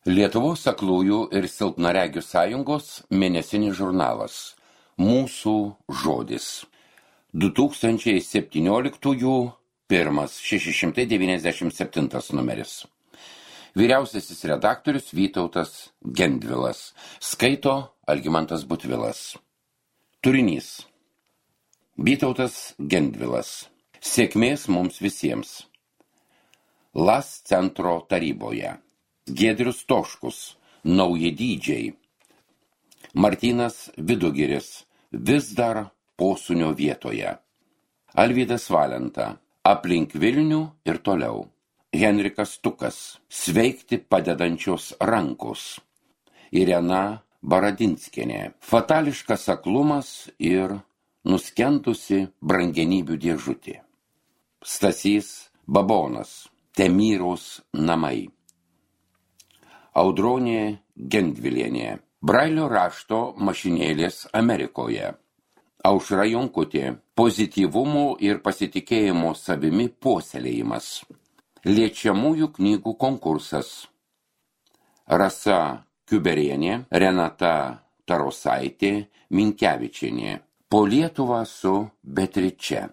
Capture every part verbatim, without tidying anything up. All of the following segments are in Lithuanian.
Lietuvos aklųjų ir silpnaregių sąjungos mėnesinis žurnalas Mūsų žodis. du tūkstančiai septynioliktųjų pirmas šeši šimtai devyniasdešimt septintas numeris. Vyriausiasis redaktorius Vytautas Gendvilas. Skaito Algimantas Butvilas. Turinys. Vytautas Gendvilas. Sėkmės mums visiems. Las centro taryboje. Giedrius Toškus. Nauji dydžiai. Martynas Vidugiris. Vis dar posūnio vietoje. Alvydas Valenta. Aplink Vilnių ir toliau. Henrikas Tukas. Sveikti padedančios rankos. Irena Baradinskienė. Fatališkas aklumas ir nuskendusi brangenybių dėžutė. Stasys Babonas. Temyros namai. Audronė Gendvilienė. Brailio rašto mašinėlės Amerikoje. Aušra Jonkutė. Pozityvumo ir pasitikėjimo savimi puoselėjimas. Liečiamųjų knygų konkursas. Rasa Kiuberienė, Renata Tarosaitė, Minkevičienė. Po Lietuvą su Beatriče.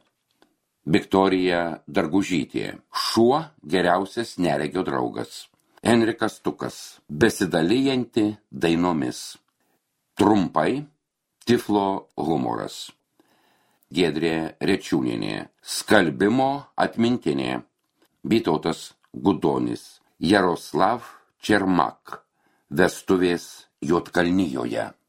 Viktorija Dargužytė. Šuo geriausias neregio draugas. Henrikas Tukas. Besidalijanti dainomis. Trumpai Tiflo humoras. Giedrė Rečiūnienė. Skalbimo atmintinė. Vytautas Gudonis. Jaroslav Čermak. Vestuvės Juodkalnijoje.